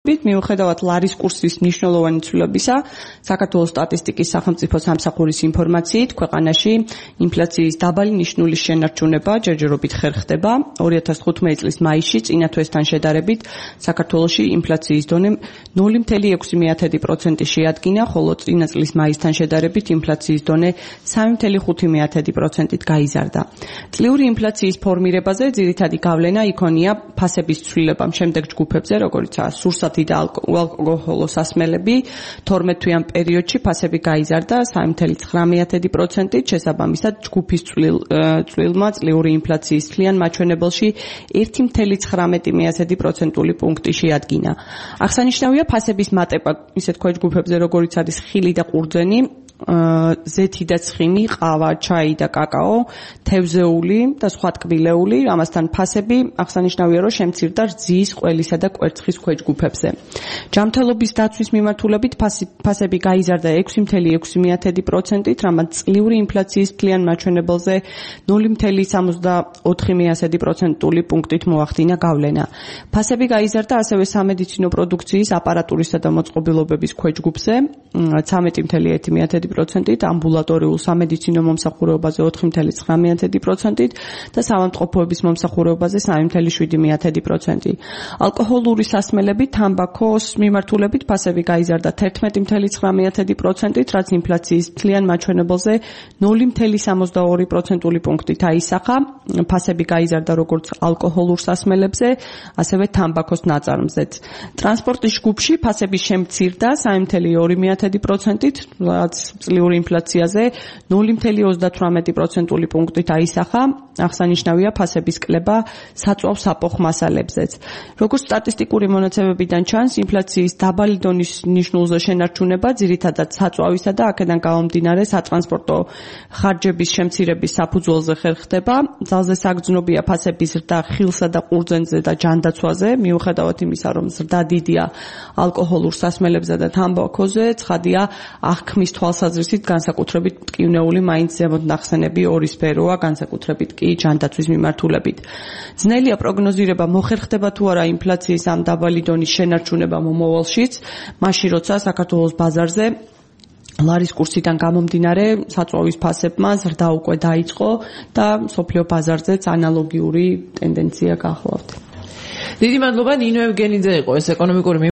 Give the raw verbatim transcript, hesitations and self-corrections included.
მიუხედავად ლარის კურსის მნიშვნელოვანი ცვლილებისა, საქართველოს სტატისტიკის სახელმწიფო სამსახურის ინფორმაციით, ქვეყანაში ინფლაციის დაბალი ნიშნულის შენარჩუნება ჯერჯერობით ხერხდება. ორი ათას თხუთმეტი წლის მაისში წინა თვესთან შედარებით საქართველოში ინფლაციის დონე ნული კoma ექვსი პროცენტი შეადგინა, ხოლო წინა წლის მაისთან შედარებით ინფლაციის დონე სამი კoma ხუთი პროცენტით გაიზარდა. წლიური ინფლაციის ფორმირებაზე ძირითადი გავლენა იქონია ფასების ცვლილება შემდეგ ჯგუფებზე, როგორიცაა სურსათი და ალკოჰოლო სასმელები. თორმეტ თვიან პერიოდში ფასები გაიზარდა სამი კoma ცხრამეტი პროცენტით, შესაბამისად ჯგუფის წვლილმა წლიური ინფლაციის თლიან მაჩვენებელში ერთი კoma ცხრამეტი პროცენტული პუნქტი შეადგინა. აღსანიშნავია ფასების მატება ისეთ ქვეჯგუფებზე, როგორიც არის ხილი და ყურძენი, ზეთი და ცხიმი, ყავა, ჩაი და კაკაო, თევზეული და სხვა ტკბილეული, ამასთან ფასები აღსანიშნავია, რომ შემცირდა რძის, ყველისა და კვერცხის ქვეჯგუფებზე. ჯანმრთელობის დაცვის მიმართულებით ფასები გაიზარდა ექვსი კoma ექვსი პროცენტით, რამაც წლიური ინფლაციის თლიან მაჩვენებელზე ნული კoma სამოცდაოთხი პროცენტული პუნქტით მოახდინა გავლენა. ფასები გაიზარდა ასევე სამედიცინო პროდუქციის, აპარატურისა და მოწყობილობების ქვეჯგუფზე ცხრამეტი კoma ერთი პროცენტით, ამბულატორიულ სამედიცინო მომსახურებაზე ოთხი კoma ცხრამეტი პროცენტით და საავადმყოფოების მომსახურებაზე სამი კoma შვიდი პროცენტი. ალკოჰოლური სასმელები, თამბაქოს მიმართულებით ფასები გაიზარდა თერთმეტი კoma ცხრამეტი პროცენტით, რაც ინფლაციის თლიან მაჩვენებელზე ნული კoma სამოცდაორი პროცენტული პუნქტით აისახა. ფასები გაიზარდა როგორც ალკოჰოლურ სასმელებზე, ასევე თამბაქოს ნაწარმზეც. ტრანსპორტის ჯგუფში ფასები შემცირდა სამი კoma ორი პროცენტით, რაც წლიური ინფლაციაზე ნული კoma ოცდათვრამეტი პროცენტული პუნქტით აისახა. აღსანიშნავია ფასების კლება საწვავ საფოხ მასალებზეც. როგორც სტატისტიკური მონაცემებიდან ჩანს, ინფლაციის დაბალი დონის ნიშნულზე შენარჩუნება ძირითადად საწვავისა და აქედან გამომდინარე სატრანსპორტო ხარჯების შემცირების საფუძველზე ხერხდება. ძალზე საგრძნობია ფასების ზრდა ხილსა და ყურძენზე და ჯანდაცვაზე, მიუხედავად იმისა, რომ ზრდა დიდია ალკოჰოლურ სასმელებსა და თამბაქოზე, ცხადია აღქმის თვალსაზრისით განსაკუთრებით მტკივნეული მაინც ზემოთ ნახსენები ორი სფეროა, განსაკუთრებით კი ჯანდაცვის მიმართულებით. ძნელია პროგნოზირება მოხერხდება თუ არა ინფლაციის ამ დაბალი დონის შენარჩუნება მომავალშიც, მაშინ როცა საქართველოს ბაზარზე ლარის კურსიდან გამომდინარე საწვავის ფასებმა ზრდა უკვე დაიწყო და მსოფლიო ბაზარზეც ანალოგიური ტენდენცია გახლავთ. დიდი მადლობა, ნინო ევგენიძე იყო ეს ეკონომიკური